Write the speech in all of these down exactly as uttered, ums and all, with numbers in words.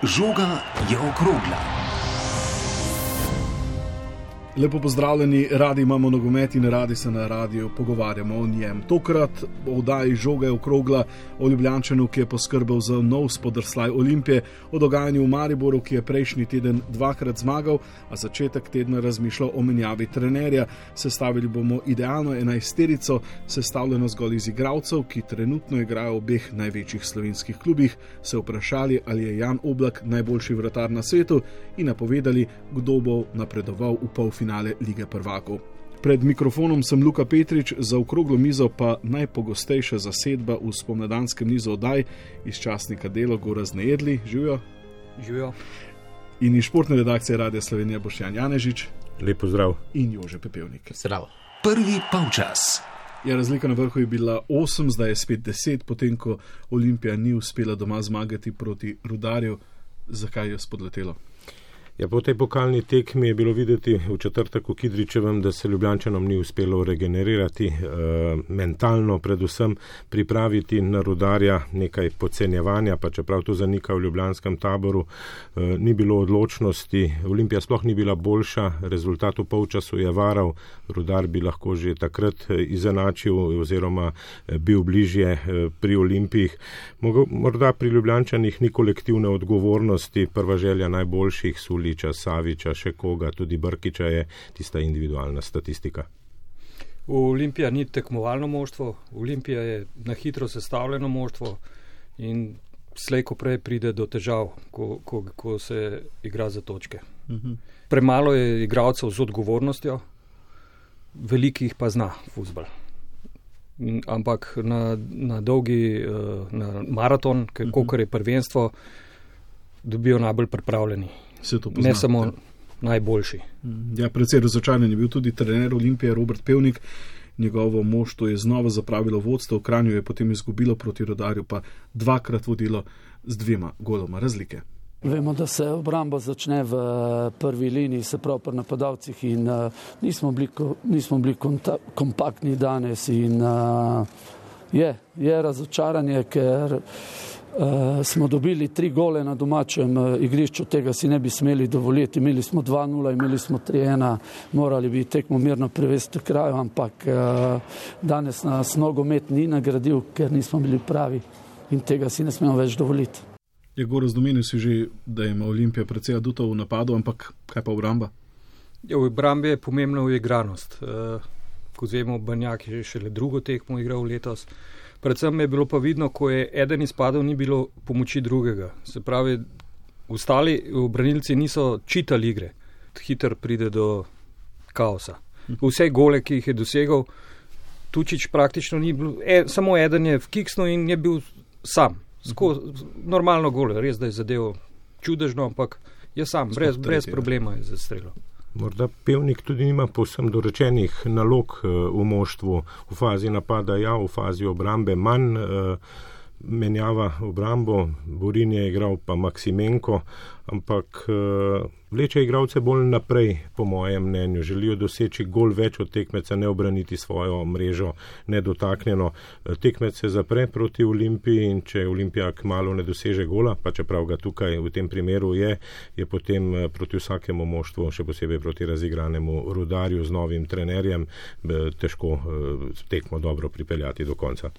Žoga je okrogla. Lepo pozdravljeni, radi imamo nogomet in radi se na radiju pogovarjamo o njem. Tokrat o oddaji Žoga je okrogla, o Ljubljančanu, ki je poskrbel za nov spodrsljaj Olimpije, o dogajanju v Mariboru, ki je prejšnji teden dvakrat zmagal, a začetek tedna razmišljal o menjavi trenerja. Sestavili bomo idealno enajsterico, sestavljeno zgolj iz igralcev, ki trenutno igrajo v obeh največjih slovenskih klubih, se vprašali, ali je Jan Oblak najboljši vratar na svetu in napovedali, kdo bo napredoval v polfinale Lige prvakov. Pred mikrofonom sem Luka Petrič, za okroglo mizo pa najpogostejša zasedba v spomladanskem nizu oddaj iz časnika Delo Gorazd Nejedli. Živijo. Živijo. In iz športne redakcije Radia Slovenija Boštjan Janežič. Lep pozdrav. In Jože Pepevnik. Zdravo. Prvi polčas. Ja, razlika na vrhu je bila osem, zdaj je spet deset, potem ko Olimpija ni uspela doma zmagati proti Rudarju. Zakaj je spodletelo? Ja, po tej pokalni tekmi je bilo videti v četrtek v Kidričevem, da se Ljubljančanom ni uspelo regenerirati, e, mentalno predvsem pripraviti na Rudarja nekaj podcenjevanja, pa čeprav to zanika v ljubljanskem taboru, e, ni bilo odločnosti, Olimpija sploh ni bila boljša, rezultat v polčasu je varal, Rudar bi lahko že takrat izenačil oziroma bil bližje pri Olimpijih. Morda pri Ljubljančanih ni kolektivne odgovornosti, prva želja najboljših Suli, Saviča, še koga, tudi Brkiča je tista individualna statistika. Olimpija ni tekmovalno moštvo, Olimpija je na hitro sestavljeno moštvo in slej ko prej pride do težav, ko, ko, ko se igra za točke. Uh-huh. Premalo je igralcev z odgovornostjo, velikih pa zna fuzbal. Ampak na, na dolgi na maraton, uh-huh. Kolikor je prvenstvo, dobijo najbolj pripravljeni. Ne samo najboljši. Ja, precej razočaran je bil tudi trener Olimpije Robert Pevnik. Njegovo moštvo je znova zapravilo vodstvo, v Kranju je potem izgubilo proti Rudarju, pa dvakrat vodilo z dvema goloma razlike. Vemo, da se obramba začne v prvi liniji, se pravi pri napadalcih in uh, nismo bili, nismo bili konta, kompaktni danes in uh, je, je razočaranje, ker Uh, smo dobili tri gole na domačem uh, igrišču, tega si ne bi smeli dovoliti. Imeli smo dva nula, imeli smo tri ena, morali bi tekmo mirno prevesti kraju, ampak uh, danes nas nogomet ni nagradil, ker nismo bili pravi in tega si ne smemo več dovoliti. Je Gorazd, domenil si že, da ima Olimpija precej adutov v napadu, ampak kaj pa obramba? Ja, v obrambi je pomembna uigranost. Uh, kot vemo, Banjak je šele drugo tekmo igral letos. Predvsem je bilo pa vidno, ko je eden izpadel, ni bilo pomoči drugega. Se pravi, ostali branilci niso čitali igre. Hiter pride do kaosa. Vse gole, ki jih je dosegal, Tučić praktično ni bil, e, samo eden je vkiksnil in je bil sam. Sko, normalno gole, res da je zadevo čudežno, ampak je sam, brez, brez problema je zastrelil. Morda Pevnik tudi nima povsem dorečenih nalog v moštvu, v fazi napada ja, v fazi obrambe manj, menjava obrambo, Borin je igral pa Maksimenko, ampak vleče igralce bolj naprej, po mojem mnenju. Želijo doseči gol več od tekmeca, ne obraniti svojo mrežo nedotaknjeno. Tekmec se zapre proti Olimpiji in če Olimpija kmalu ne doseže gola, pa čeprav ga tukaj v tem primeru je, je potem proti vsakemu moštvu, še posebej proti razigranemu Rudarju z novim trenerjem, težko tekmo dobro pripeljati do konca.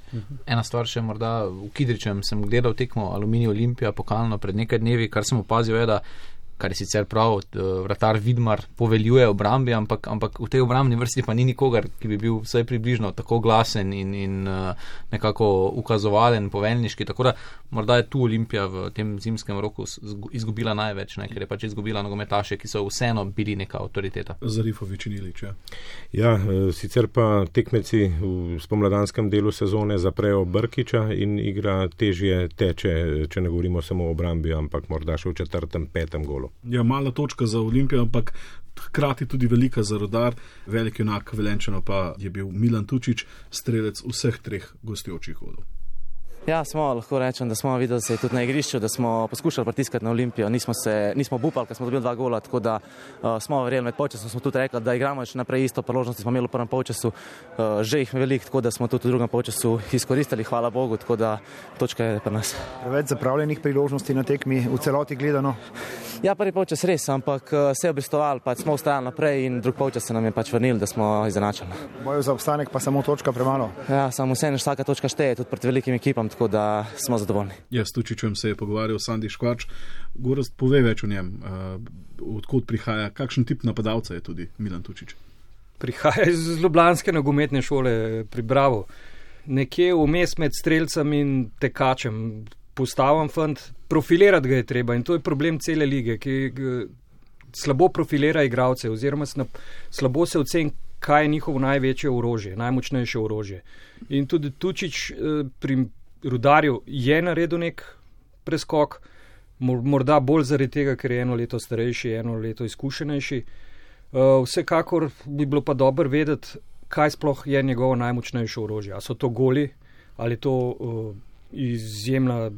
Ena stvar še morda, v Kidričem sem gledal tekmo Aluminij Olimpija pokalno pred nekaj dnevi, kar sem opazil je, da kar je sicer prav, vratar Vidmar poveljuje obrambi, ampak, ampak v tej obrambni vrsti pa ni nikogar, ki bi bil vsaj približno tako glasen in, in nekako ukazovalen, poveljniški, tako da morda je tu Olimpija v tem zimskem roku izgubila največ, ne, ker je pač izgubila nogometaše, ki so vseeno bili neka avtoriteta. Zarifovič in Ilić, ja. Ja, sicer pa tekmeci v spomladanskem delu sezone zaprejo Brkiča in igra težje teče, če ne govorimo samo o obrambi, ampak morda še v četrtem, petem golu. Ja, mala točka za Olimpijo, ampak hkrati tudi velika za Rudar. Velik junak Velenjčanov pa je bil Milan Tučić, strelec vseh treh gostujočih golov. Ja, smo, lahko rečem, da smo videli se tudi na igrišču, da smo poskušali pritiskati na Olimpijo, nismo se, nismo bupali, ker smo dobili dva gola, tako da uh, smo verjeli med polčasom, smo tudi rekli, da igramo še naprej isto, priložnosti smo imeli v prvem polčasu, uh, že jih veliko, tako da smo tudi v drugem polčasu izkoristili, hvala Bogu, tako da točka je pri nas. Preveč zapravljenih priložnosti na tekmi v celoti gledano? Ja, prvi polčas res, ampak uh, se je obistovali, pač smo ustrajali naprej in drug polčas se nam je pač vrnil, da smo izenačili. Boju za obstanek pa samo točka premalo? Ja, samo vseeno vsaka točka šteje, tudi proti velikim ekipam, tako da smo zadovoljni. Ja, s Tučičem se je pogovarjal Sandi Škvarč. Gorazd, pove več o njem, uh, odkot prihaja, kakšen tip napadalca je tudi Milan Tučič? Prihaja iz ljubljanske nogometne šole pri Bravo. Nekje vmes med strelcem in tekačem. Postaven fant, profilirati ga je treba in to je problem cele lige, ki slabo profilira igralce oziroma slabo se oceni, kaj je njihovo največje orožje, najmočnejše orožje. In tudi Tučič pri Rudarju je naredil nek preskok, morda bolj zaradi tega, ker je eno leto starejši, eno leto izkušenejši. Vsekakor bi bilo pa dobro vedeti, kaj sploh je njegovo najmočnejše orožje. A so to goli, ali to izjemna,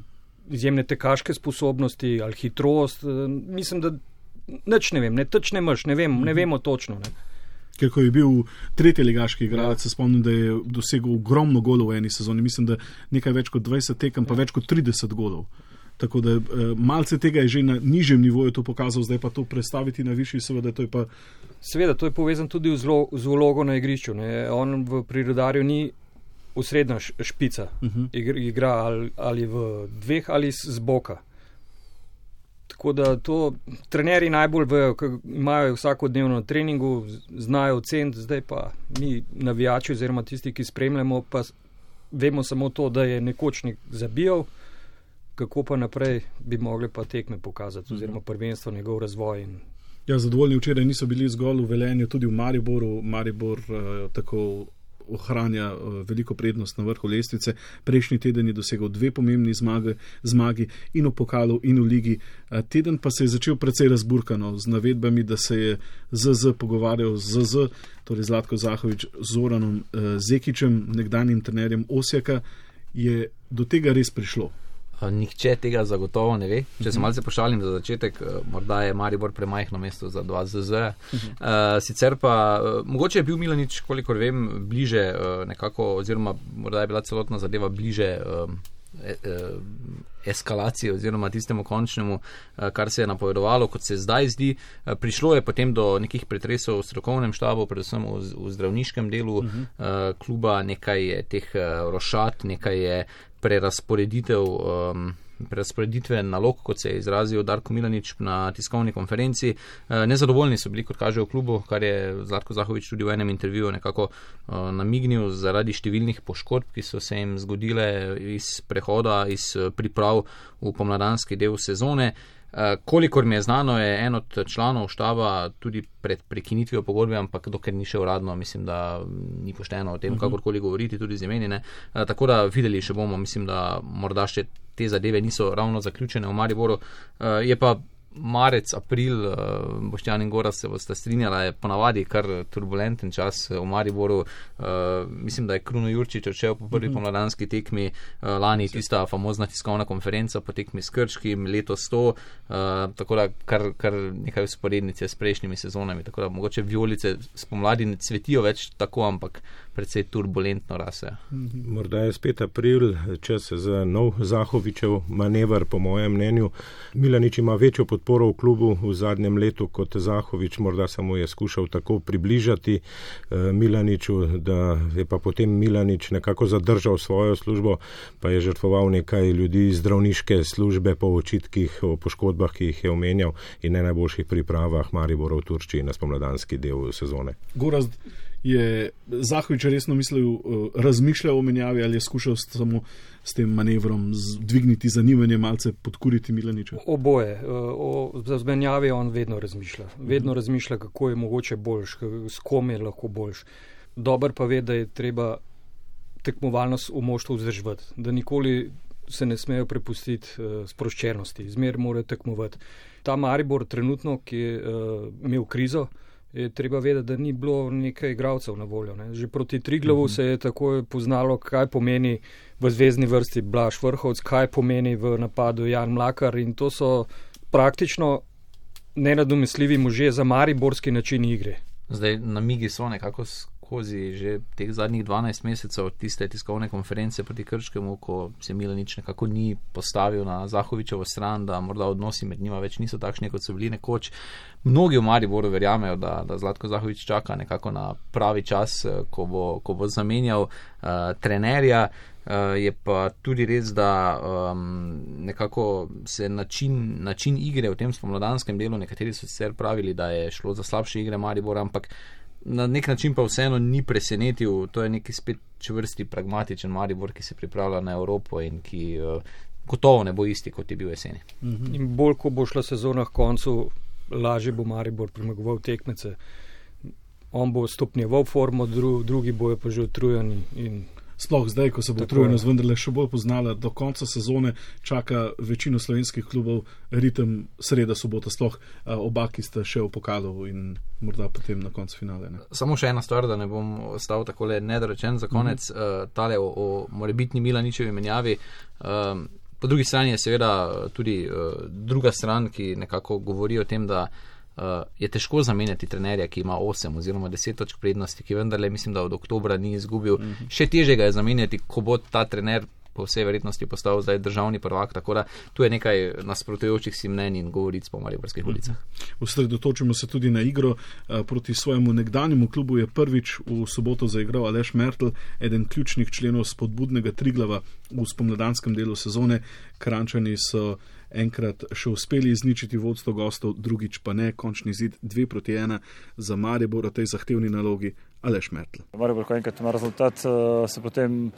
izjemne tekaške sposobnosti, ali hitrost. Mislim, da nič ne vem, ne teč ne mrš, ne, vem, ne vemo točno. Ne. Ker ko je bil tretji ligaški igralec, se spomnim, da je dosegel ogromno golov v eni sezoni. Mislim, da nekaj več kot dvajset tekem, pa več kot trideset golov. Tako da malce tega je že na nižjem nivoju to pokazal, zdaj pa to predstaviti na višji, seveda to je pa... Seveda, to je povezan tudi z vlogo na igrišču. Ne. On v Rudarju ni osrednja špica. Uh-huh. Igra ali, ali v dveh ali z boka. Tako da to trenerji najbolj vejo, ker imajo vsakodnevno na treningu, znajo oceniti, zdaj pa mi navijači oziroma tisti, ki spremljamo, pa vemo samo to, da je nekoč nek zabijal, kako pa naprej bi mogli pa tekme pokazati oziroma prvenstvo, njegov razvoj. In... Ja, zadovoljni včeraj niso bili zgolj v Velenju, tudi v Mariboru. Maribor uh, tako ohranja uh, veliko prednost na vrhu lestvice. Prejšnji teden je dosegel dve pomembni zmage, zmagi in v pokalu in v ligi. Uh, teden pa se je začel precej razburkano z navedbami, da se je Z Z pogovarjal z Z Z, torej Zlatko Zahovič z Zoranom uh, Zekičem, nekdanjim trenerjem Osijeka. Je do tega res prišlo? Nihče tega zagotovo ne ve. Če se malce pošalim za začetek, morda je Maribor premajhno mesto za dva Z Z. Uh, sicer pa, uh, mogoče je bil Milanič, kolikor vem, bliže uh, nekako, oziroma morda je bila celotna zadeva bliže uh, e, uh, eskalacije oziroma tistemu končnemu, uh, kar se je napovedovalo, kot se zdaj zdi. Uh, prišlo je potem do nekih pretresov v strokovnem štabu, predvsem v, v zdravniškem delu uh-huh. uh, kluba, nekaj je teh uh, rošat, nekaj je prerasporeditev, um, prerasporeditve nalog, kot se je izrazil Darko Milanič na tiskovni konferenci. Uh, nezadovoljni so bili, kot kaže v klubu, kar je Zlatko Zahovič tudi v enem intervjuju nekako uh, namignil zaradi številnih poškodb, ki so se jim zgodile iz prehoda, iz priprav v pomladanski del sezone. Uh, kolikor mi je znano, je en od članov štaba tudi pred prekinitvijo pogodbe, ampak dokler ni še uradno, mislim, da ni pošteno o tem, uh-huh. kakorkoli govoriti, tudi z imeni. Uh, tako da videli še bomo, mislim, da morda še te zadeve niso ravno zaključene v Mariboru. Uh, je pa marec, april, uh, Boštjan in Gorazd se boste strinjala, je ponavadi kar turbulenten čas v Mariboru. Uh, mislim, da je Kruno Jurčič odšel po prvi mm-hmm. pomladanski tekmi, uh, lani tista famozna tiskovna konferenca po tekmi s Krškim, letos to, uh, tako da kar, kar nekaj usporednice s prejšnjimi sezonami, tako da mogoče vijolice spomladi ne cvetijo več tako, ampak predvsej turbulentno rase. Mm-hmm. Morda je spet april, čas za nov Zahovičev manever, po mojem mnenju. Milanič ima večjo podporo v klubu v zadnjem letu kot Zahovič, morda samo je skušal tako približati uh, Milaniču, da je pa potem Milanič nekako zadržal svojo službo, pa je žrtvoval nekaj ljudi iz zdravniške službe po očitkih o poškodbah, ki jih je omenjal, in ne najboljših pripravah Maribora v Turčiji na spomladanski del sezone. Gorazd, je Zahovič resno mislil, razmišljal o menjavi ali je skušal samo s tem manevrom dvigniti zanimanje, malce podkuriti Milaniča? Oboje. O zmenjavi on vedno razmišlja. Vedno razmišlja, kako je mogoče boljš, s kom je lahko boljš. Dober pa ve, da je treba tekmovalnost v moštvu vzdrževati, da nikoli se ne smejo prepustiti sproščenosti, zmer morajo tekmovati. Ta Maribor trenutno, ki je imel krizo, je treba vedeti, da ni bilo nekaj igralcev na voljo. Ne. Že proti Triglavu se je takoj poznalo, kaj pomeni v zvezdni vrsti Blaž Vrhovec, kaj pomeni v napadu Jan Mlakar in to so praktično nenadomestljivi možje za mariborski način igre. Zdaj namigi so nekako skozi že teh zadnjih dvanajst mesecev tiste tiskovne konference proti Krškemu, ko se Milanič nekako ni postavil na Zahovičevo stran, da morda odnosi med njima več niso takšni, kot so bili nekoč. Mnogi v Mariboru verjamejo, da, da Zlatko Zahovič čaka nekako na pravi čas, ko bo, ko bo zamenjal uh, trenerja. Uh, je pa tudi res, da um, nekako se način, način igre v tem spomladanskem delu, nekateri so sicer pravili, da je šlo za slabše igre Maribora, ampak na nek način pa vseeno ni presenetil. To je neki spet čvrsti, pragmatičen Maribor, ki se pripravlja na Evropo in ki uh, gotovo ne bo isti, kot je bil jeseni. Mm-hmm. In bolj, ko bo šla sezona k koncu, lažje bo Maribor premagoval tekmece. On bo stopnjeval formo, dru, drugi bojo pa že utrujeni in sploh zdaj, ko se bo utrujenost vendarle še bolj poznala, do konca sezone čaka večino slovenskih klubov ritem sreda, sobota, sploh oba, ki sta še v pokalu in morda potem na koncu finale. Ne? Samo še ena stvar, da ne bom ostal takole nedorečen za konec, mm-hmm. uh, tale o, o morebitni Milaničevi menjavi. Um, po drugi strani je seveda tudi uh, druga stran, ki nekako govori o tem, da Uh, je težko zamenjati trenerja, ki ima osem oziroma deset točk prednosti, ki vendarle mislim, da od oktobra ni izgubil. Mm-hmm. Še težje ga je zamenjati, ko bo ta trener po vsej verjetnosti postal zdaj državni prvak, tako da tu je nekaj nasprotujočih si mnenj in govoric po mariborskih ulicah. Osredotočimo se tudi na igro. Proti svojemu nekdanjemu klubu je prvič v soboto zaigral Aleš Mertl, eden ključnih členov spodbudnega Triglava v spomladanskem delu sezone. Kranjčani so enkrat še uspeli izničiti vodstvo gostov, drugič pa ne, končni zid dve proti ena za Maribor o tej zahtevni nalogi Aleš Mertl. Maribor, ko enkrat ima rezultat, se potem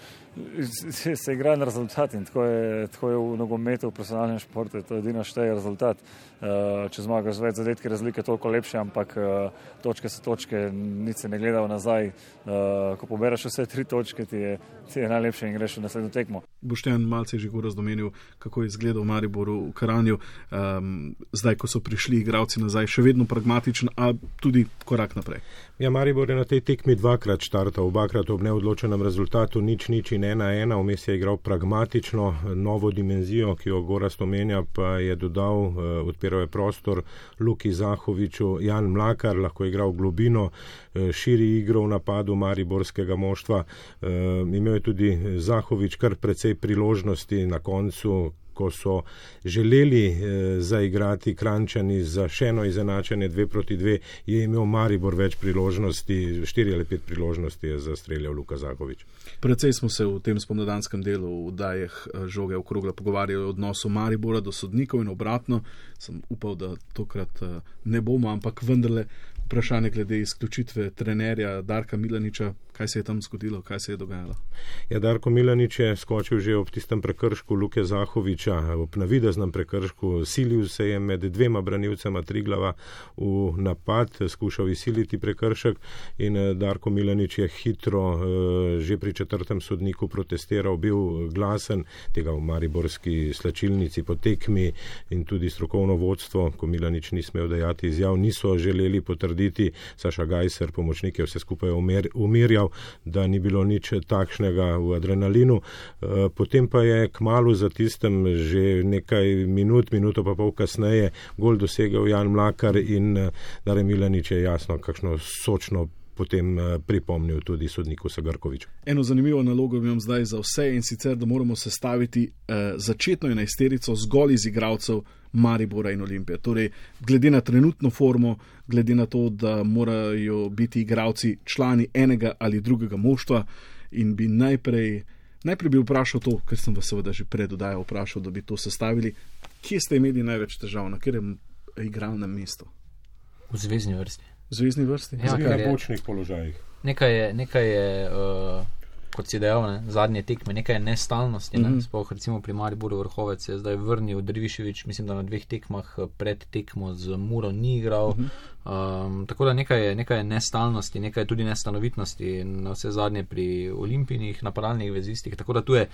se igra na rezultat in tako je, tako je v nogometu, v profesionalnem športu, to je edino šteje rezultat. Če zmagaš z več zadetki, razlike toliko lepše, ampak točke so točke, nič se ne gleda nazaj. Ko poberaš vse tri točke, ti je, ti je najlepše in greš v naslednjo tekmo. Boštjan malce je že govoril razdomenil, kako je izgledal v Mariboru v Karanju. Um, zdaj, ko so prišli igralci nazaj, še vedno pragmatičen, a tudi korak naprej. Ja, Maribor je na tej tekmi dvakrat štartal, obakrat ob neodločenem rezultatu, nič, nič in ena, ena, vmes je igral pragmatično, novo dimenzijo, ki jo Gorazd omenja, pa je dodal, uh, odpiral je prostor Luki Zahoviču, Jan Mlakar, lahko je igral globino, uh, širi igro v napadu mariborskega moštva, uh, imel je tudi Zahovič kar precej priložnosti na koncu, ko so želeli eh, zaigrati Kranjčani za še eno izenačenje dve proti dve, je imel Maribor več priložnosti, štiri ali pet priložnosti je zastreljal Luka Zahovič. Predvsej smo se v tem spomladanskem delu v dajeh žoge okrogla pogovarjali o odnosu Maribora do sodnikov in obratno. Sem upal, da tokrat ne bomo, ampak vendarle vprašanje glede izključitve trenerja Darka Milaniča, kaj se je tam zgodilo, kaj se je dogajalo? Ja, Darko Milanič je skočil že ob tistem prekršku Luke Zahoviča, ob navideznem prekršku, silil se je med dvema branilcema Triglava v napad, skušal izsiliti prekršek in Darko Milanič je hitro že pri četrtem sodniku protestiral, bil glasen, tega v mariborski slačilnici po tekmi in tudi strokovno vodstvo, ko Milanič ni smel dajati izjav, niso želeli potrditi. Saša Gajser, pomočnik, je vse skupaj umirjal, da ni bilo nič takšnega v adrenalinu. Potem pa je kmalu za tistem že nekaj minut, minuto pa pol kasneje gol dosegel Jan Mlakar in Dare Milanič je jasno, kakšno sočno potem pripomnil tudi sodniku Sagrkoviču. Eno zanimivo nalogo imam zdaj za vse in sicer, da moramo sestaviti eh, začetno enajsterico zgolj iz igralcev Maribora in Olimpije. Torej, glede na trenutno formo, glede na to, da morajo biti igralci člani enega ali drugega moštva in bi najprej, najprej bi vprašal to, ker sem vas seveda že pred oddajo vprašal, da bi to sestavili. Kje ste imeli največ težav, na katerem igralnem mestu? V zvezni vrsti. V zvezni vrsti? Ja, na bočnih položajih. Nekaj je, nekaj je uh, kot si dejal, ne, zadnje tekme, nekaj je nestalnosti, ne, mm-hmm. Sploh recimo pri Mariboru Vrhovec je zdaj vrnil Drvišević, mislim, da na dveh tekmah pred tekmo z Muro ni igral, mm-hmm. um, tako da nekaj je, nekaj je nestalnosti, nekaj je tudi nestanovitnosti in na vse zadnje pri olimpijnih napadalnih vezistih, tako da tu je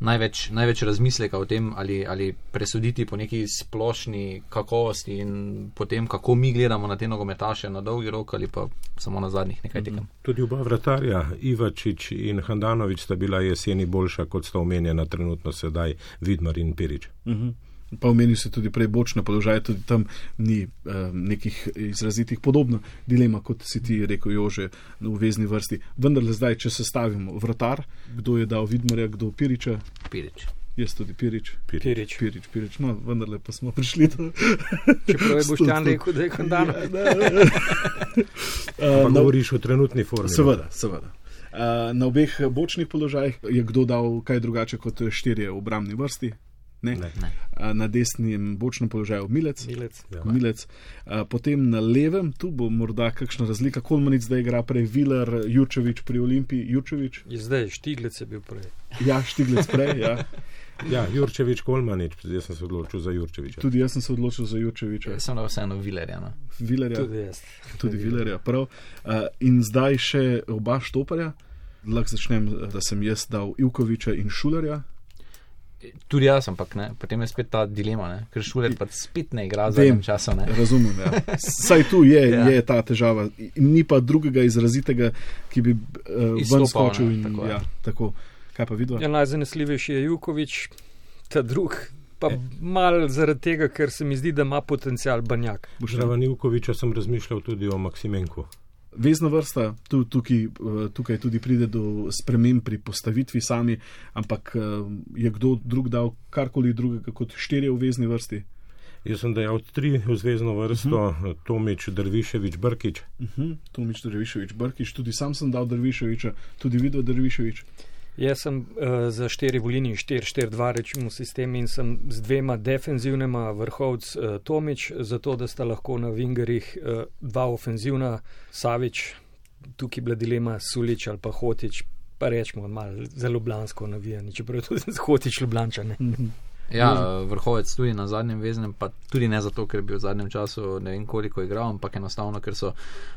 največ, največ razmisleka o tem, ali, ali presuditi po neki splošni kakovosti in potem, kako mi gledamo na te nogometaše na dolgi rok ali pa samo na zadnjih nekaj tekem. Tudi oba vratarja, Ivačič in Handanović, sta bila jeseni boljša, kot sta omenjena trenutno sedaj Vidmar in Pirič. Uh-huh. Pa omenil se tudi prej bočne položaje, tudi tam ni eh, nekih izrazitih podobno dilema, kot si ti rekel, Jože, v vezni vrsti. Vendar le zdaj, če se stavimo vratar, kdo je dal Vidmarja, kdo Piriča? Pirič. Jaz tudi Pirič. Pirič. Pirič, Pirič. No, vendar le pa smo prišli do... Čeprav je Boštjan rekel, da je Handanović. Pa govoriš o trenutni formi. Seveda, seveda. Uh, na obeh bočnih položajih je kdo dal kaj drugače kot štirje v obrambni vrsti? Ne. Ne. Na desnem bočnem položaju Milec, Milec. Ja. Milec. Potem na levem, tu bo morda kakšna razlika, Kolmanic zdaj igra prej, Viler, Jurčević pri Olimpiji, Jurčević. Je zdaj, Štiglec je bil prej. Ja, Štiglec prej, ja. Ja, Jurčević, Kolmanic, jaz sem se odločil za Jurčevića. Tudi jaz sem se odločil za Jurčevića. Jaz sem da vseeno Vilerja. No. Vilerja. Tudi jaz. Tudi Vilerja, prav. In zdaj še oba štoparja. Lahko začnem, da sem jaz dal Ivkovića in Šulerja. Tudi jaz, ampak ne, potem je spet ta dilema, ne? Ker Šuler pa spet ne igra za enem času. Ne? Razumem, ja. Saj tu je, ja. je ta težava. Ni pa drugega izrazitega, ki bi uh, ven skočil. In, tako, ja, tako. Kaj pa vidva? Ja, najzanesljivejši je Juković, ta drug pa e. mal zaradi tega, ker se mi zdi, da ima potencial Banjak. Zraven Ivkovića sem razmišljal tudi o Maksimenku. Vezna vrsta, tu, tukaj, tukaj tudi pride do sprememb pri postavitvi sami, ampak je kdo drug dal karkoli drugega kot štirje v vezni vrsti? Jaz sem dejal tri v zvezno vrsto, uh-huh. Tomič, Dervišević, Brkić. Uh-huh. Tomič, Dervišević, Brkić, tudi sam sem dal Derviševića, tudi videl Dervišević. Jaz sem uh, za štiri v liniji, štiri štiri dva rečemo sistem in sem z dvema defenzivnema vrhovc uh, Tomič, zato da sta lahko na vingerih uh, dva ofenzivna, Savić, tukaj bila dilema Sulić ali pa Hotić, pa rečemo malo zelo ljubljansko navijanje, čeprav tudi Hotić Ljubljančane. Mm-hmm. Ja, vrhovec tudi na zadnjem veznem, pa tudi ne zato, ker bi v zadnjem času ne vem koliko igral, ampak enostavno, ker so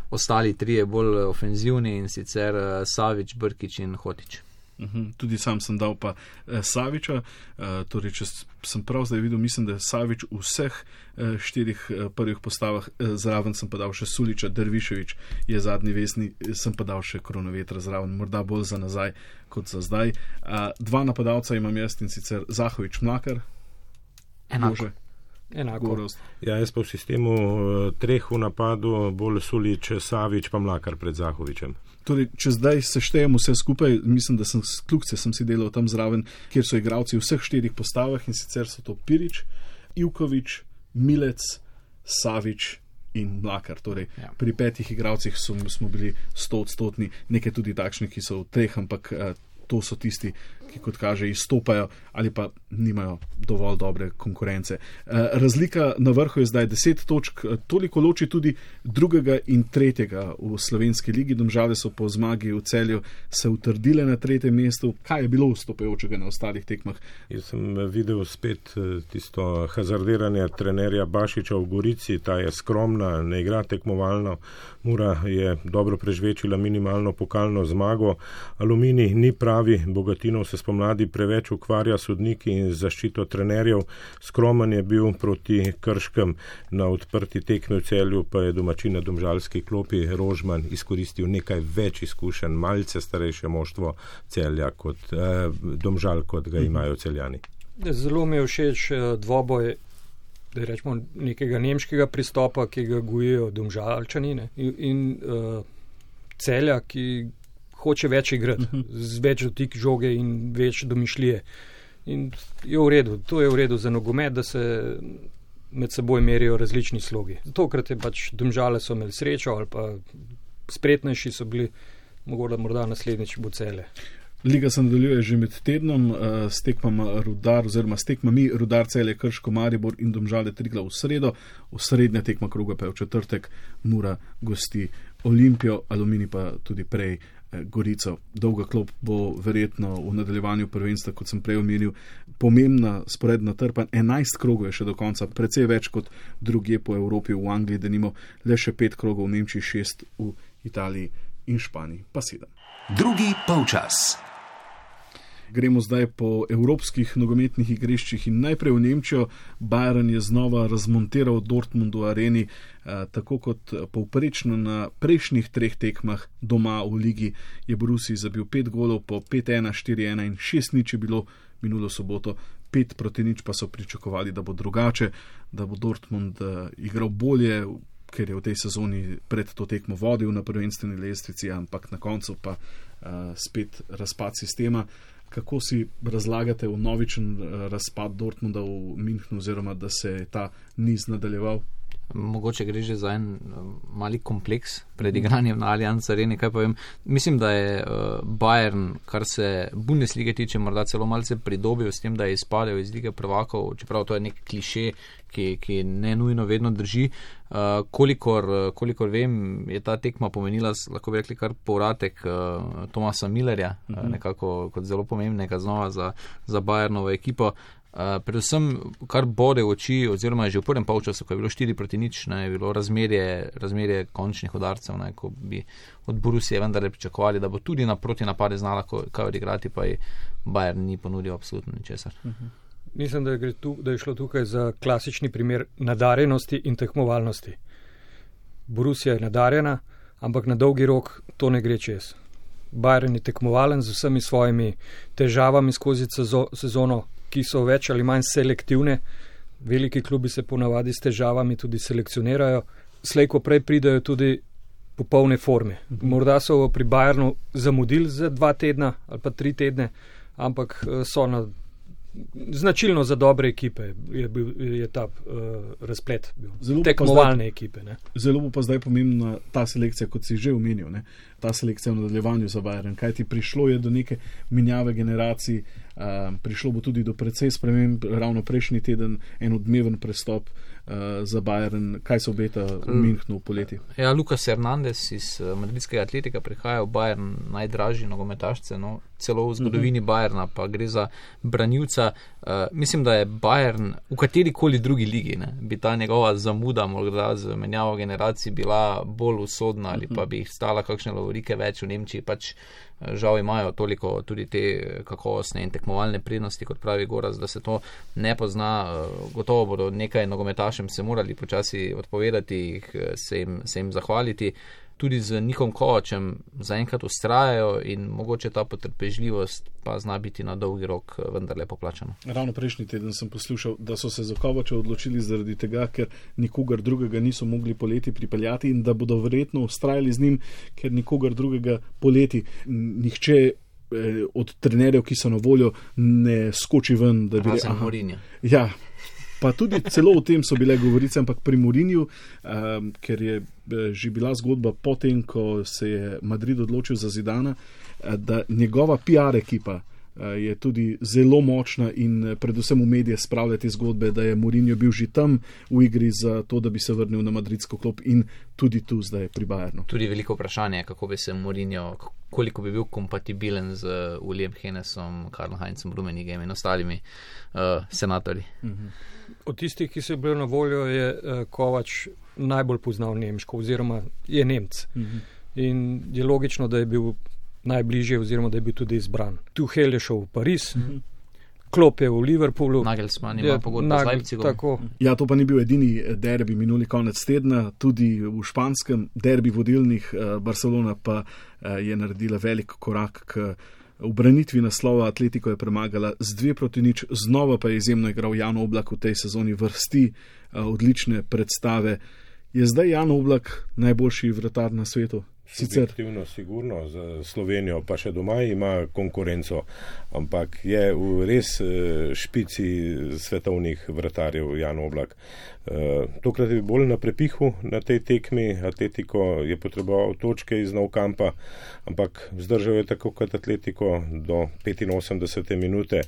ostali trije bolj ofenzivni in sicer uh, Savić, Brkić in Hotić. Uhum, tudi sam sem dal pa eh, Savića, eh, torej če sem prav zdaj videl, mislim, da je Savić v vseh eh, štirih eh, prvih postavah, eh, zraven sem pa dal še Sulića, Dervišević je zadnji vesni, eh, sem pa dal še Kronovetra zraven, morda bolj za nazaj kot za zdaj. Eh, dva napadalca imam jaz in sicer Zahović, Mlakar. Enako. Enako. Ja, jaz pa v sistemu uh, treh v napadu, bolj Sulić, Savić pa Mlakar pred Zahovićem. Torej, če zdaj seštejemo vse skupaj, mislim, da sem klukce sem si delal tam zraven, kjer so igralci v vseh štirih postavah in sicer so to Pirič, Ivković, Milec, Savić in Mlakar. Torej, ja. Pri petih igralcih so, smo bili stoodstotni, nekaj tudi takšni, ki so v treh, ampak uh, to so tisti, ki kot kaže izstopajo ali pa nimajo dovolj dobre konkurence. Razlika na vrhu je zdaj deset točk, toliko loči tudi drugega in tretjega v slovenski ligi. Domžale so po zmagi v Celju se utrdile na tretjem mestu. Kaj je bilo vstopajočega na ostalih tekmah? Jaz sem videl spet tisto hazardiranje trenerja Bašiča v Gorici, ta je skromna, ne igra tekmovalno. Mura je dobro prežvečila minimalno pokalno zmago. Aluminij ni pravi, Bogatinov se spomladi preveč ukvarja sodniki in zaščito trenerjev. Skromen je bil proti Krškem, na odprti tekmi v Celju pa je domačin na domžalski klopi Rožman izkoristil nekaj več izkušenj, malce starejše moštvo Celja kot eh, Domžal, kot ga imajo Celjani. Zelo mi je všeč dvoboj, da rečemo, nekega nemškega pristopa, ki ga gojijo Domžalčani in, in uh, Celja, ki hoče več igrati, uh-huh. z več dotik žoge in več domišljije. In je v redu, to je v redu za nogomet, da se med seboj merijo različni slogi. Tokrat je pač Domžale so imeli srečo ali pa spretnejši so bili, morda, morda naslednjič bo Celje. Liga se nadaljuje že med tednom uh, s tekmama Rudar oziroma s tekmami Rudar, Celje, Krško, Maribor in Domžale Triglav v sredo. V srednja tekma kroga pa je v četrtek, Mura gosti Olimpijo, Aluminij pa tudi prej Gorico. Dolga klop bo verjetno v nadaljevanju prvenstva, kot sem prej omenil, pomembna sporedna trpa. enajst krogov je še do konca, precej več kot drugje po Evropi, v Angliji, denimo le še pet krogov, v Nemčiji šest, v Italiji in Španiji pa sedem. Drugi polčas. Gremo zdaj po evropskih nogometnih igriščih in najprej v Nemčijo. Bayern je znova razmontiral Dortmund v areni, eh, tako kot povprečno na prejšnjih treh tekmah doma v ligi je Borussiji zabil pet golov po pet ena, štiri ena in šest nič je bilo minulo soboto. Pet proti nič pa so pričakovali, da bo drugače, da bo Dortmund eh, igral bolje, ker je v tej sezoni pred to tekmo vodil na prvenstveni lestvici, ampak na koncu pa uh, spet razpad sistema. Kako si razlagate vnovičen uh, razpad Dortmunda v Münchnu, oziroma da se je ta niz nadaljeval? Mogoče gre že za en mali kompleks pred igranjem na Allianz Areni, kaj povem. Mislim, da je uh, Bayern, kar se Bundeslige tiče, morda celo malce pridobil s tem, da je izpadel iz lige prvakov, čeprav to je nek kliše, ki, ki ne nujno vedno drži. Uh, kolikor, kolikor vem, je ta tekma pomenila, lahko bi rekli, kar povratek uh, Thomasa Müllerja, uh, nekako kot zelo pomembnega znova za, za Bayernovo ekipo. Uh, predvsem, kar bode v oči, oziroma že v prvem polčasu, ko je bilo štiri proti nič, ne, je bilo razmerje, razmerje končnih udarcev, ne, ko bi od Borussije vendarle pričakovali, da bo tudi na proti napade znala kaj odigrati, pa je Bayern ni ponudil absolutno ničesar. Uh-huh. Mislim, da je, tu, da je šlo tukaj za klasični primer nadarjenosti in tekmovalnosti. Borussija je nadarjena, ampak na dolgi rok to ne gre čez. Bayern je tekmovalen z vsemi svojimi težavami skozi sezono, ki so več ali manj selektivne. Veliki klubi se ponavadi s težavami tudi selekcionirajo. Slej, ko prej pridejo tudi popolne forme. Morda so pri Bayernu zamudili za dva tedna ali pa tri tedne, ampak so na značilno za dobre ekipe je, bil, je ta uh, razplet bil. Zelo tekmovalne zdaj, ekipe. Ne? Zelo bo pa zdaj pomembna ta selekcija, kot si že omenil, ne? Ta selekcija v nadaljevanju za Bayern. Kaj ti prišlo je do neke menjave generacij, uh, prišlo bo tudi do precej sprememb, ravno prejšnji teden en odmeven prestop uh, za Bayern. Kaj se obeta v Münchnu poleti? Ja, Lucas Hernandez iz uh, madridskega Atletika prihaja v Bayern, najdražji nogometašce, no, celo v zgodovini uh-huh. Bayerna, pa gre za branilca. Uh, mislim, da je Bayern v katerikoli drugi ligi, ne, bi ta njegova zamuda morda z menjavo generacij bila bolj usodna ali pa bi jih stala kakšne lovorike več v Nemčiji, pač žal imajo toliko tudi te kakovostne in tekmovalne prednosti, kot pravi Goraz, da se to ne pozna. Gotovo bodo nekaj nogometašem se morali počasi odpovedati, se jim, se jim zahvaliti. Tudi z Nikom Kovačem zaenkrat ustrajajo in mogoče ta potrpežljivost pa zna biti na dolgi rok vendarle poplačana. Ravno prejšnji teden sem poslušal, da so se za Kovača odločili zaradi tega, ker nikogar drugega niso mogli poleti pripeljati in da bodo verjetno ustrajali z njim, ker nikogar drugega poleti nihče eh, od trenerjev, ki so na voljo, ne skoči ven. Da bi Razen re, Mourinho. Ja, pa tudi celo o tem so bile govorice, ampak pri Mourinhu, um, ker je že bila zgodba potem, ko se je Madrid odločil za Zidana, da njegova P R ekipa je tudi zelo močna in predvsem v medije spravlja te zgodbe, da je Mourinho bil že tam v igri za to, da bi se vrnil na madridsko klop in tudi tu zdaj pri Bayernu. Tudi veliko vprašanje, kako bi se Mourinho, koliko bi bil kompatibilen z Ulijem Hennesom, Karl Heinzom Rummeniggeem in ostalimi uh, senatorji. Uh-huh. Od tistih, ki so bili na voljo, je uh, Kovač najbolj poznal nemško oziroma je Nemc. Uh-huh. In je logično, da je bil najbližje oziroma da je bil tudi izbran. Tuchel je šel v Pariz, uh-huh. Klopp je v Liverpoolu. Nagelsmann ima pogodbo z Leipzigom. Ja, to pa ni bil edini derbi minuli konec tedna, tudi v španskem derbi vodilnih uh, Barcelona pa uh, je naredila velik korak k v branitvi naslova. Atletico je premagala z dve proti nič, znova pa je izjemno igral Jan Oblak v tej sezoni, vrsti uh, odlične predstave. Je zdaj Jan Oblak najboljši vratar na svetu? Subjektivno sigurno, za Slovenijo pa še doma ima konkurenco, ampak je v res špici svetovnih vratarjev Jan Oblak. Tokrat je bolj na prepihu na tej tekmi. Atletico je potreboval točke iz Nou Campa, ampak zdržal je tako kot Atletico do petinosemdesete minute,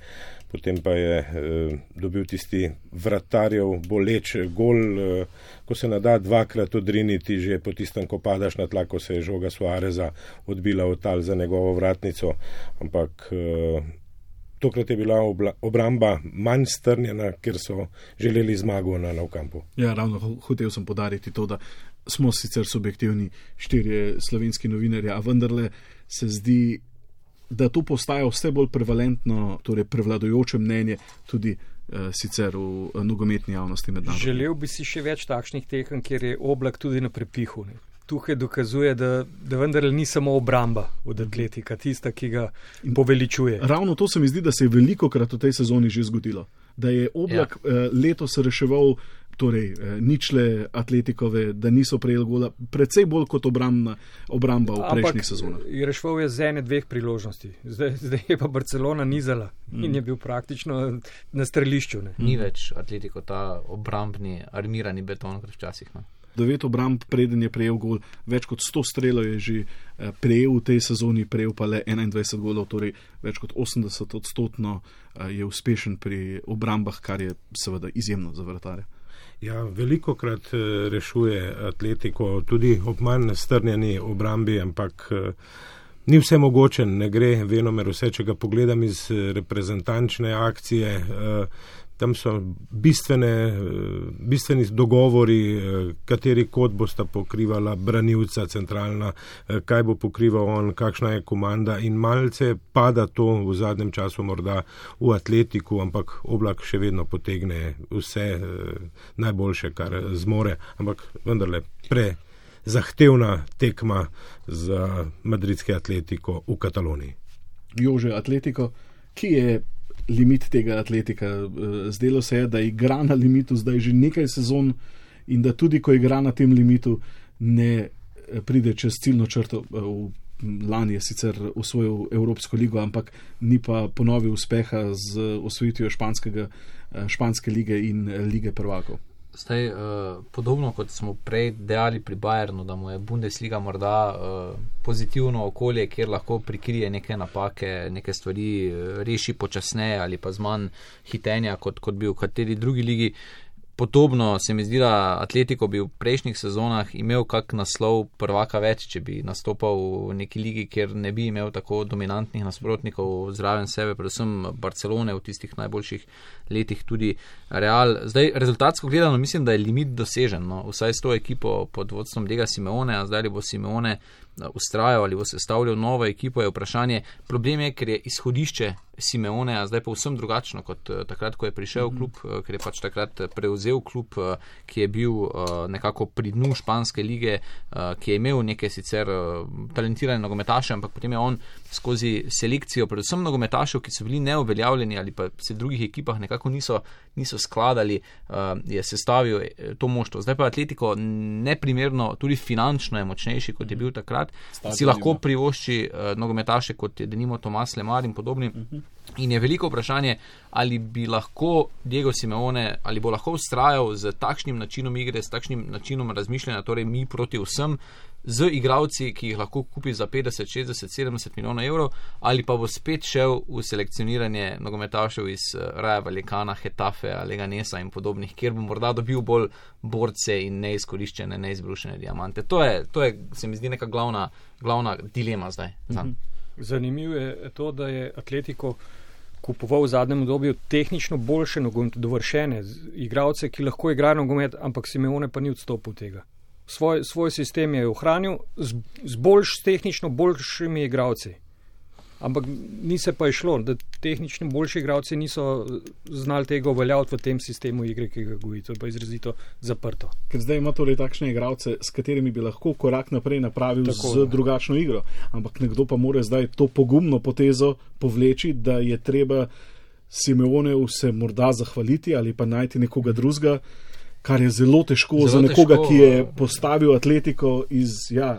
potem pa je eh, dobil tisti vratarjev boleč gol, eh, ko se nada dvakrat odriniti že po tistem, ko padaš na tla, ko se je žoga Suareza odbila v tal za njegovo vratnico, ampak eh, tokrat je bila obla, obramba manj strnjena, ker so želeli zmago na Nou Campu. Ja, ravno hotel sem podariti to, da smo sicer subjektivni štirje slovenski novinarji, a vendarle se zdi da to postaja vse bolj prevalentno, torej prevladujoče mnenje tudi uh, sicer v uh, nogometni javnosti mednarodno. Želel bi si še več takšnih tekem, kjer je Oblak tudi na prepihu. Ne? Tukaj dokazuje, da, da vendar ni samo obramba od Atletika, tista, ki ga poveličuje. Ravno to se mi zdi, da se je veliko krat v tej sezoni že zgodilo. Da je Oblak ja. uh, letos reševal torej ničle Atletikove, da niso prejeli gola, predvsej bolj kot obrambna, obramba v prejšnjih sezonah. Ampak reševal je z ene dveh priložnosti. Zdaj, zdaj je pa Barcelona nizala mm. in je bil praktično na strelišču. Ne? Ni več Atletiko ta obrambni, armirani beton, kot včasih. Ne? Devet obramb, preden je prejel gol, več kot sto strelov je že prejel v tej sezoni, prejel pa le enaindvajset golov, torej več kot osemdeset odstotno je uspešen pri obrambah, kar je seveda izjemno za vratarja. Ja, veliko krat rešuje Atletiko, tudi ob manj strnjeni obrambi, ampak ni vse mogoče, ne gre venomer vse, če ga pogledam iz reprezentančne akcije. Tam so bistvene, bistveni dogovori, kateri kot bosta pokrivala branilca centralna, kaj bo pokrival on, kakšna je komanda in malce pada to v zadnjem času morda v Atletiku, ampak Oblak še vedno potegne vse najboljše, kar zmore, ampak vendarle pre zahtevna tekma za madridski Atletiko v Kataloniji. Jože, Atletiko, ki je limit tega Atletika? Zdelo se je, da igra na limitu zdaj že nekaj sezon in da tudi, ko igra na tem limitu, ne pride čez ciljno črto. Lani je sicer osvojil Evropsko ligo, ampak ni pa ponovil uspeha z osvojitvijo španske lige in lige prvakov. Zdaj, uh, podobno kot smo prej dejali pri Bayernu, da mu je Bundesliga morda uh, pozitivno okolje, kjer lahko prikrije neke napake, neke stvari uh, reši počasneje ali pa z manj hitenja, kot, kot bi v kateri drugi ligi. Podobno se mi zdi, da Atletiko bi v prejšnjih sezonah imel kak naslov prvaka več, če bi nastopal v neki ligi, kjer ne bi imel tako dominantnih nasprotnikov zraven sebe, predvsem Barcelone v tistih najboljših letih, tudi Real. Zdaj, rezultatsko gledano, mislim, da je limit dosežen, no? Vsaj s to ekipo pod vodstvom Diega Simeone, a zdaj li bo Simeone ustrajal ali bo sestavljal novo ekipo, je vprašanje. Problem je, ker je izhodišče Simeone, a zdaj pa vsem drugačno kot takrat, ko je prišel v klub, ker je pač takrat prevzel klub, ki je bil nekako pri dnu španske lige, ki je imel neke sicer talentirane nogometaše, ampak potem je on skozi selekcijo, predvsem nogometašev, ki so bili neuveljavljeni ali pa se v drugih ekipah nekako niso, niso skladali, je sestavil to moštvo. Zdaj pa Atletiko neprimerno, tudi finančno je močnejši, kot je bil takrat. Si lahko privošči uh, nogometaše, kot je denimo Tomas Lemar in podobni. Uh-huh. In je veliko vprašanje, ali bi lahko Diego Simeone, ali bo lahko ustrajal z takšnim načinom igre, s takšnim načinom razmišljanja, torej mi proti vsem, z igravci, ki jih lahko kupi za petdeset, šestdeset, sedemdeset milijonov evrov, ali pa bo spet šel v selekcioniranje nogometašev iz Raja Vallecana, Getafe, Leganesa in podobnih, kjer bo morda dobil bolj borce in neizkoriščene, neizbrušene diamante. To je, to je, se mi zdi, neka glavna, glavna dilema zdaj. Mhm. Zanimivo je to, da je Atletiko kupoval v zadnjem obdobju tehnično boljše nogomet, dovršene igralce, ki lahko igrajo nogomet, ampak Simeone pa ni odstopil tega. Svoj, svoj sistem je ohranil z, z boljš, tehnično boljšimi igralci. Ampak ni se pa išlo, da tehnično boljši igralci niso znali tega uveljaviti v tem sistemu igre, ki ga goji. To je pa izrazito zaprto. Ker zdaj ima torej takšne igralce, s katerimi bi lahko korak naprej napravil tako, z ne. drugačno igro. Ampak nekdo pa mora zdaj to pogumno potezo povleči, da je treba Simeoneu se morda zahvaliti ali pa najti nekoga drugega, kar je zelo težko zelo za nekoga, težko, ki je postavil Atletiko iz ja,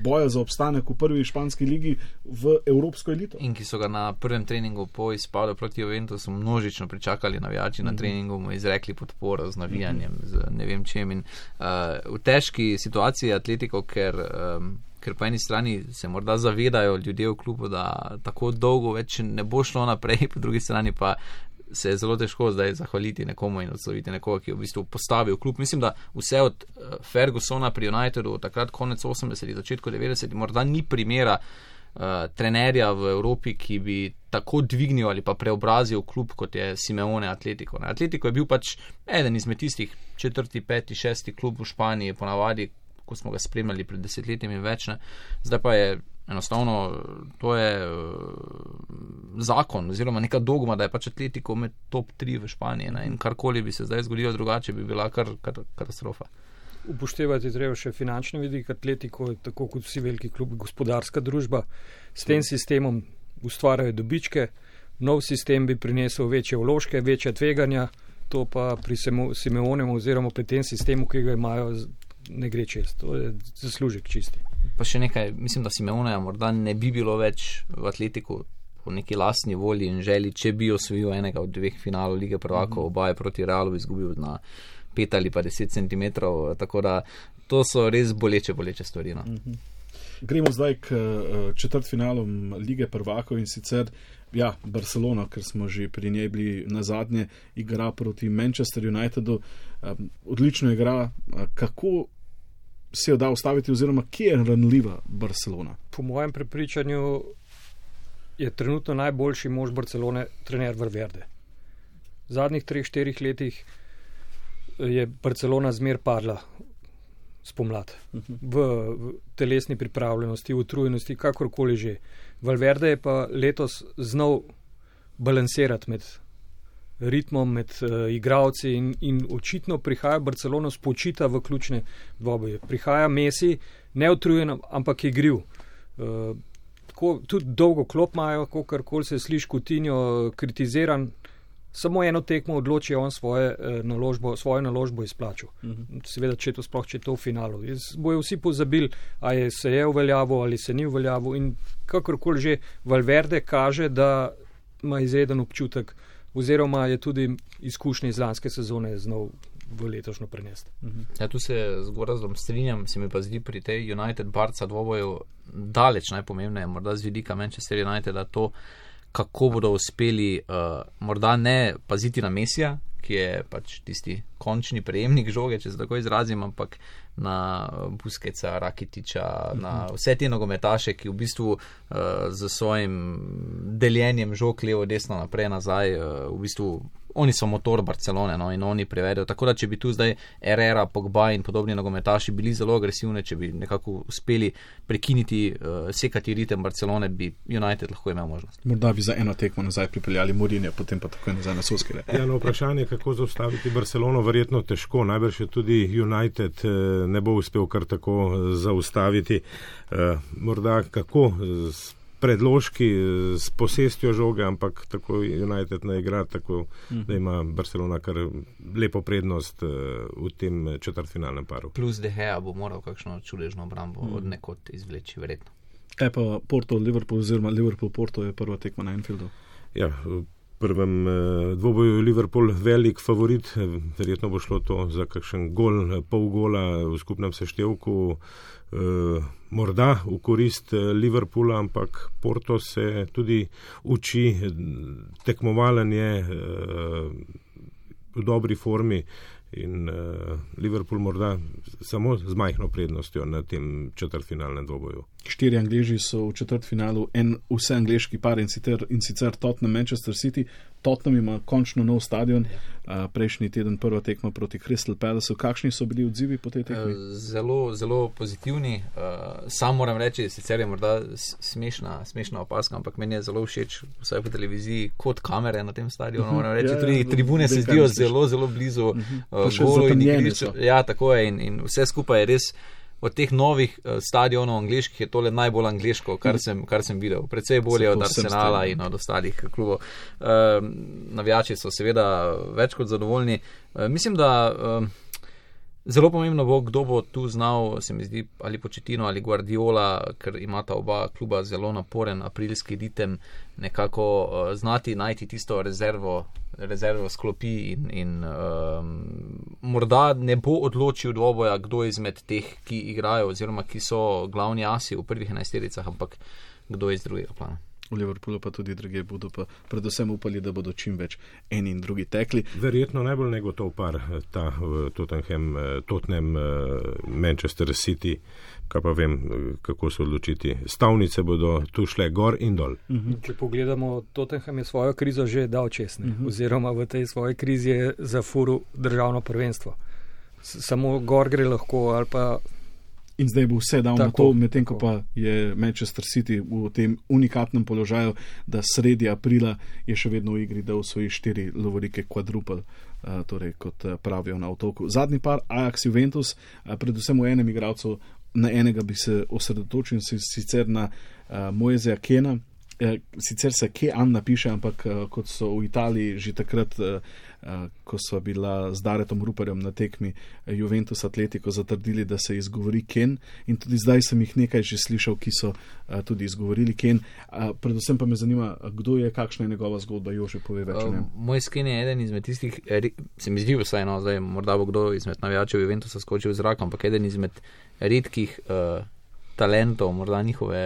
boja za obstanek v prvi španski ligi v evropsko elito. In ki so ga na prvem treningu po izpadu proti Juventusu množično pričakali navijači mm-hmm. na treningu, mu izrekli podporo z navijanjem, mm-hmm. z ne vem čem. In, uh, v težki situaciji Atletiko, ker, um, ker po eni strani se morda zavedajo ljudje v klubu, da tako dolgo več ne bo šlo naprej, po drugi strani pa se je zelo težko zdaj zahvaliti nekomu in odsloviti nekoga, ki je v bistvu postavil klub. Mislim, da vse od Fergusona pri Unitedu, takrat konec osemdesetih, začetku devetdesetih, morda ni primera uh, trenerja v Evropi, ki bi tako dvignil ali pa preobrazil klub, kot je Simeone Atletiko. Ne? Atletiko je bil pač eden izmed tistih četrti, peti, šesti klub v Španiji, ponavadi, ko smo ga spremljali pred desetletjem in več. Ne? Zdaj pa je enostavno to je zakon oziroma neka dogma, da je pač Atletico med top tri v Španiji, ne? In karkoli bi se zdaj zgodilo drugače, bi bila kar, kar katastrofa. Upoštevati treba še finančni vidik. Atletico je tako kot vsi veliki klubi gospodarska družba. S tem sistemom ustvarjajo dobičke, nov sistem bi prinesel večje vložke, večje tveganja, to pa pri Simeonemu oziroma pri tem sistemu, ki ga imajo, ne gre čest. To je zaslužek čisti. Pa še nekaj, mislim, da Simeoneja morda ne bi bilo več v Atletiku po neki lastni volji in želi, če bi osvojil enega od dveh finalov Lige prvakov, mm-hmm. oba je proti Realu izgubil na pet ali pa deset centimetrov, tako da to so res boleče, boleče stvari. No. Mm-hmm. Gremo zdaj k četrtfinalom Lige prvakov in sicer ja, Barcelona, ker smo že pri njej bili na zadnje, igra proti Manchester Unitedu. Odlično igra. Kako se jo da ustaviti oziroma kje je ranljiva Barcelona? Po mojem prepričanju je trenutno najboljši mož Barcelone trener Valverde. V zadnjih treh, štirih letih je Barcelona zmer padla spomlad. V, v telesni pripravljenosti, v utrujenosti, kakorkoli že. Valverde je pa letos znal balansirati med ritmom, med uh, igralci in, in očitno prihaja Barcelona spočita v ključne dvoboje. Prihaja Messi, neutrujen, ampak igriv. Uh, tako, tudi dolgo klop imajo, kakorkoli se sliši Coutinho kritiziran, samo eno tekmo odloči on svoje, uh, naložbo, svojo naložbo izplačil. Uh-huh. Seveda, če to sploh, če to v finalu. Bojo vsi pozabili, a je se je uveljavil ali se ni uveljavil in kakorkoli že Valverde kaže, da ima izreden občutek oziroma je tudi izkušnje iz lanske sezone znal v letošnjo prenesti. Uh-huh. Ja, tu se z Gorazdom strinjam, se mi pa zdi pri tej United Barca dvoboju daleč najpomembneje, morda z vidika Manchester Uniteda to, kako bodo uspeli uh, morda ne paziti na Messija, ki je pač tisti končni prejemnik žoge, če se tako izrazim, ampak na Busquetsa, Rakitića, uh-huh. na vse te nogometaše, ki v bistvu uh, z svojim deljenjem žog levo, desno, naprej, nazaj, uh, v bistvu oni so motor Barcelone, no, in oni prevedajo. Tako da, če bi tu zdaj Herrera, Pogba in podobni nogometaši bili zelo agresivni, če bi nekako uspeli prekiniti, uh, sekati ritem Barcelone, bi United lahko imel možnost. Morda bi za eno tekmo nazaj pripeljali Mourinho, potem pa takoj nazaj na Solskjaer. Ja, no, vprašanje, kako zaustaviti Barcelono, verjetno težko. Najbrž je tudi United eh, ne bo uspel kar tako zaustaviti. Eh, morda kako z predložki, s posestjo žoge, ampak tako United ne igra, tako mm-hmm. da ima Barcelona kar lepo prednost uh, v tem četrtfinalnem paru. Plus De Gea bo moral kakšno čudežno obrambo mm. od nekod izvleči, verjetno. Kaj pa Porto-Liverpool oziroma Liverpool-Porto je prva tekma na Anfieldu? Ja, v prvem uh, dvoboju Liverpool velik favorit, verjetno bo šlo to za kakšen gol, pol gola v skupnem seštevku. Uh, morda v korist Liverpoola, ampak Porto se tudi uči, tekmovalen je uh, v dobri formi in uh, Liverpool morda samo z majhno prednostjo na tem četrtfinalnem dvoboju. Štiri Angleži so v četrtfinalu, en vse angleški par in sicer, in sicer Tottenham Manchester City. Tottenham ima končno nov stadion, uh, prejšnji teden prva tekma proti Crystal Palaceu. Kakšni so bili odzivi po tej tekmi? Zelo, zelo pozitivni. Uh, sam moram reči, sicer je morda smešna, smešna opaska, ampak meni je zelo všeč, vsaj po televiziji, kot kamere na tem stadionu. Moram reči, ja, tudi ja, tribune se zdijo zelo, zelo blizu uh, golu in igrišču. Ja, tako je in, in vse skupaj je res. Od teh novih uh, stadionov angleških je tole najbolj angleško, kar sem, kar sem videl. Predvsej bolje od Arsenala in od ostalih klubov. Uh, navijači so seveda več kot zadovoljni. Uh, mislim, da uh, zelo pomembno bo, kdo bo tu znal, se mi zdi, ali Pochettino ali Guardiola, ker imata oba kluba zelo naporen aprilski ritem, nekako uh, znati najti tisto rezervo, rezervo sklopi in, in um, morda ne bo odločil dvoboja, kdo izmed teh, ki igrajo oziroma ki so glavni asi v prvih enajstericah, ampak kdo iz drugega plana. V Liverpoolu pa tudi druge bodo pa predvsem upali, da bodo čim več eni in drugi tekli. Verjetno najbolj negotov par ta Tottenham, Tottenham, Manchester City, kaj pa vem, kako se odločiti. Stavnice bodo tu šle gor in dol. Uh-huh. Če pogledamo, Tottenham je svojo krizo že dal čez, uh-huh. oziroma v tej svoji krizi je zafuril državno prvenstvo. S- samo gor gre lahko ali pa In zdaj bo vse dal Tako, na to, medtem ko tako. pa je Manchester City v tem unikatnem položaju, da sredi aprila je še vedno v igri, da osvoji štiri lovorike quadruple, uh, torej kot uh, pravijo na otoku. Zadnji par, Ajax Juventus, uh, predvsem v enem igralcu, na enega bi se osredotočil, sicer na uh, Moiseja Kena. Eh, sicer se Kean napiše, ampak eh, kot so v Italiji že takrat, eh, eh, ko so bila z Daretom Ruperjem na tekmi eh, Juventus Atletico zatrdili, da se izgovori Ken, in tudi zdaj sem jih nekaj že slišal, ki so eh, tudi izgovorili Ken. Eh, predvsem pa me zanima, kdo je, kakšna je njegova zgodba. Jože, pove več o njem. Uh, moj Ken je eden izmed tistih, re, se mi zdi vsaj, no, zdaj morda bo kdo izmed navijačev Juventusa skočil v zrak, ampak eden izmed redkih uh, talentov, morda njihove,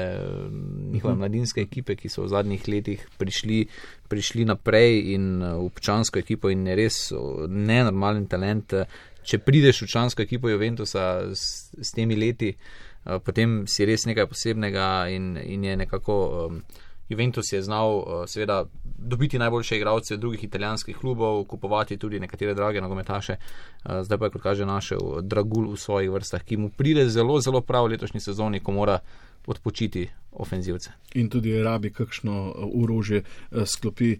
njihove mladinske ekipe, ki so v zadnjih letih prišli, prišli naprej in v občansko ekipo in je res nenormalen talent. Če prideš v občansko ekipo Juventusa s, s temi leti, potem si res nekaj posebnega in, in je nekako um, Juventus je znal seveda dobiti najboljše igralce drugih italijanskih klubov, kupovati tudi nekatere drage nogometaše. Zdaj pa je, kot kaže, našel dragul v svojih vrstah, ki mu pride zelo, zelo prav v letošnji sezoni, ko mora odpočiti ofenzivce. In tudi rabi kakšno orožje sklopi,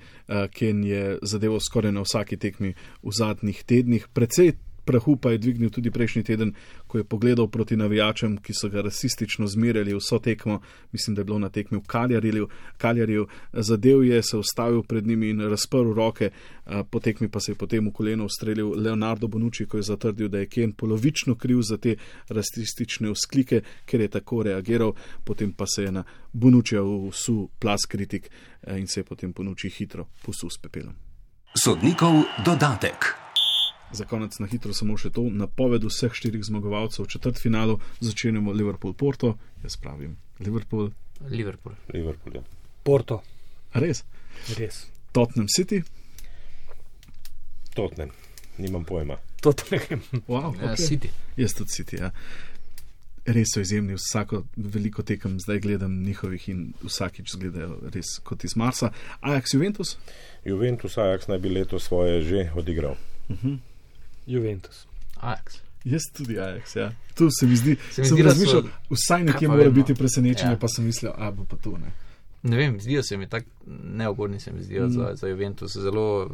Ken je zadevo skoraj na vsaki tekmi v zadnjih tednih. Precej prahu pa je dvignil tudi prejšnji teden, ko je pogledal proti navijačem, ki so ga rasistično zmerjali vso tekmo. Mislim, da je bilo na tekmi v Kaljariju. Kaljariju zadev je, se ustavil pred njimi in razprl roke. Po tekmi pa se je potem v koleno ustrelil Leonardo Bonucci, ko je zatrdil, da je Ken polovično kriv za te rasistične vzklike, ker je tako reagiral. Potem pa se je na Bonuccija vsul plas kritik in se je potem Bonucci hitro posul s pepelom. Sodnikov dodatek. Za konec na hitro samo še to, napoved vseh štirih zmagovalcev v četrtfinalu. Začenjamo Liverpool-Porto, jaz pravim Liverpool. Liverpool. Liverpool, ja. Porto. Res? Res. Tottenham City? Tottenham, nimam pojma. Tottenham. Wow, Ja, okay. City. Jaz tudi City, ja. Res so izjemni, vsako veliko tekem zdaj gledam njihovih in vsakič zgledajo res kot iz Marsa. Ajax Juventus? Juventus Ajax naj bi leto svoje že odigral. Uh-huh. Juventus. Ajax. Jaz tudi Ajax, ja. Tu se mi zdi, Se mi sem zdi, da razmišljal, so- vsaj Kaj nekje pa mora vem, no. biti presenečenje, Ja. pa sem mislil, a bo pa to, ne. Ne vem, zdijo se mi tako neugodni, se mi zdijo mm. za, za Juventus, zelo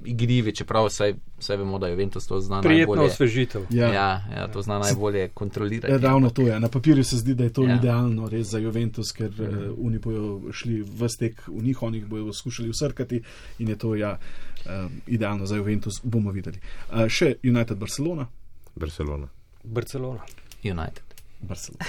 igrivi, čeprav saj, saj vemo, da Juventus to zna Prijetno najbolje. osvežitev. Ja, Ja, ja, to zna najbolje kontrolirati. ja, ravno to je. Na papirju se zdi, da je to Ja. idealno res za Juventus, ker uh, oni bojo šli v stek v njih, oni jih bojo skušali usrkati in je to ja, uh, idealno za Juventus, bomo videli. Uh, še United Barcelona. Barcelona. Barcelona. United. Barcelona.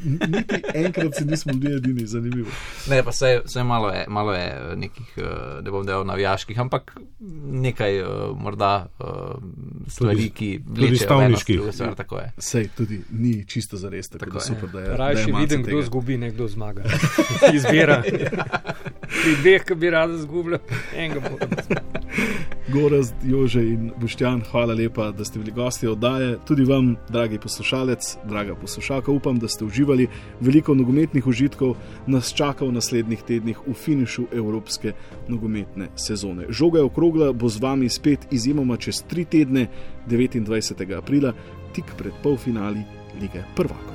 Niti enkrat se nismo bili edini, zanimivo. Ne, pa vse, vse malo, je, malo je nekih, eh, da bom dejal, navijaških, ampak nekaj eh, morda eh, stvari, ki vlečejo v eno stavniških. drugo stvar, tako je. Sej tudi ni čisto za res, tako, Tako da je. super, da je. Rajši da je malce vidim, kdo tega. zgubi, ne kdo zmaga. Izbira. Pri dveh, ki bi rada zgubila, enega bo. Gorazd, Jože in Boštjan, hvala lepa, da ste bili gosti oddaje. Tudi vam, dragi poslušalec, draga poslušalka, upam, da ste uživali. Veliko nogometnih užitkov nas čaka v naslednjih tednih v finišu evropske nogometne sezone. Žoga je okrogla, bo z vami spet izjemoma čez tri tedne, devetindvajsetega aprila, tik pred polfinali Lige prvakov.